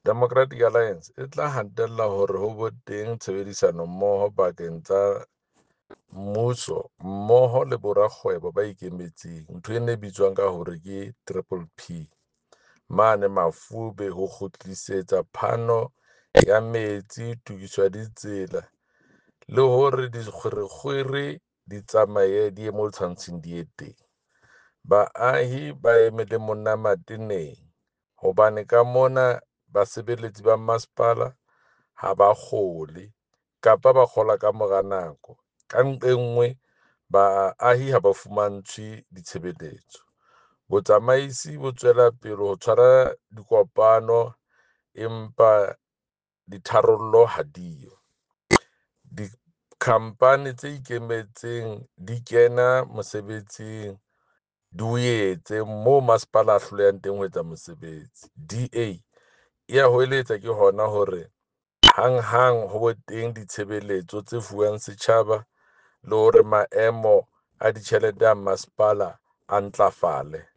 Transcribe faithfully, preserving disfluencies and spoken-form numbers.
Democratic Alliance e tla hatella hore ho be teng tshebedisano-mmoho pakeng tsa mmuso mmoho le borakgwebo ba ikemetseng, ntho ena e bitswang ka hore ke Triple P, mane Mafube ho kgutlisetsa phano ya metsi, tokiso ya ditsela le hore dikgwerekgwere di tsamaye di ye moo tshwantseng di ye teng. Baahi ba eme le monna mateneng hobane ka mona basebeletsi ba masepala ha ba kgole kapa ba kgola ka mora nako. Ka nqe nngwe baahi ha ba fumantshwe ditshebeletso. Botsamaisi bo tswela pele ho tshwara dikopano, empa ditharollo ha diyo. Di-company tse ikemetseng di kena mosebetsing, di o etse moo masepala a hlolehang teng ho etsa mosebetsi. D_A ya hoeletsa ke hona hore hanghang ho be teng ditshebeletso tse fuwang setjhaba le hore maemo a ditjhelete a masepala a ntlafale.